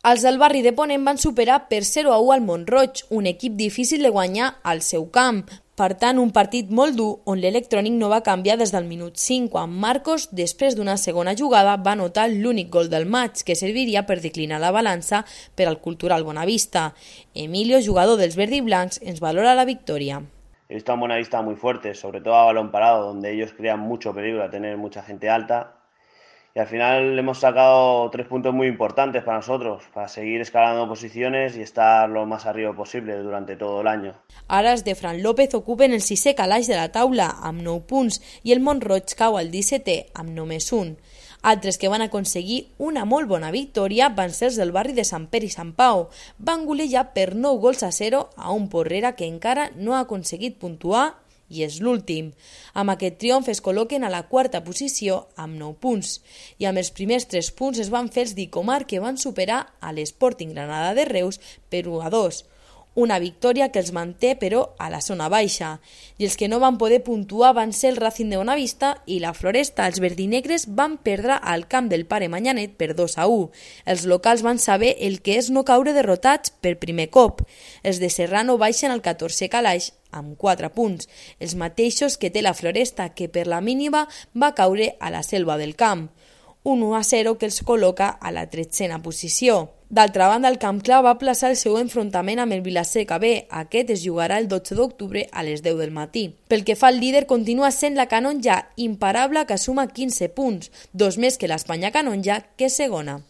Els del barri de Ponent van superar per 0-1 al Mont-roig, un equip difícil de guanyar al seu camp. Per tant, un partit molt dur on l'Electrònic no va canviar des del minut 5, quan Marcos, després d'una segona jugada, va anotar l'únic gol del maig, que serviria per declinar la balança per al Cultural Bonavista. Emilio, jugador dels verd i blancs, ens valora la victòria. He visto a un Bonavista muy fuerte, sobre todo a balón parado, donde ellos crean mucho peligro a tener mucha gente alta. Y al final hemos sacado 3 puntos muy importantes para nosotros, para seguir escalando posiciones y estar lo más arriba posible durante todo el año. Ara els de Fran López ocupen el 6è calaix de la taula amb 9 punts i el Mont-roig cau al 17è amb només 1. Altres que van aconseguir una molt bona victòria van ser els del barri de Sant Pere i Sant Pau. Van golejar per 9-0 a un Porrera que encara no ha aconseguit puntuar i és l'últim. Amb aquest triomf es col·loquen a la 4a posició amb 9 punts. I amb els primers 3 punts es van fer els d'Icomar, que van superar a l'Sporting Granada de Reus per 1-2. Una victòria que els manté, però, a la zona baixa. I els que no van poder puntuar van ser el Racing de Bonavista i la Floresta. Els verdinegres van perdre al camp del Pare Manyanet per 2-1. Els locals van saber el que és no caure derrotats per primer cop. Els de Serrano baixen al 14è calaix amb 4 punts, els mateixos que té la Floresta, que per la mínima va caure a la Selva del Camp. Un 1-0 que els col·loca a la 13a posició. D'altra banda, el Camp Clar va plaçar el seu enfrontament amb el Vilaseca B. Aquest es jugarà el 12 d'octubre a les 10 del matí. Pel que fa al líder, continua sent la Canonja, imparable, que suma 15 punts, 2 més que l'Espanya Canonja, que és segona.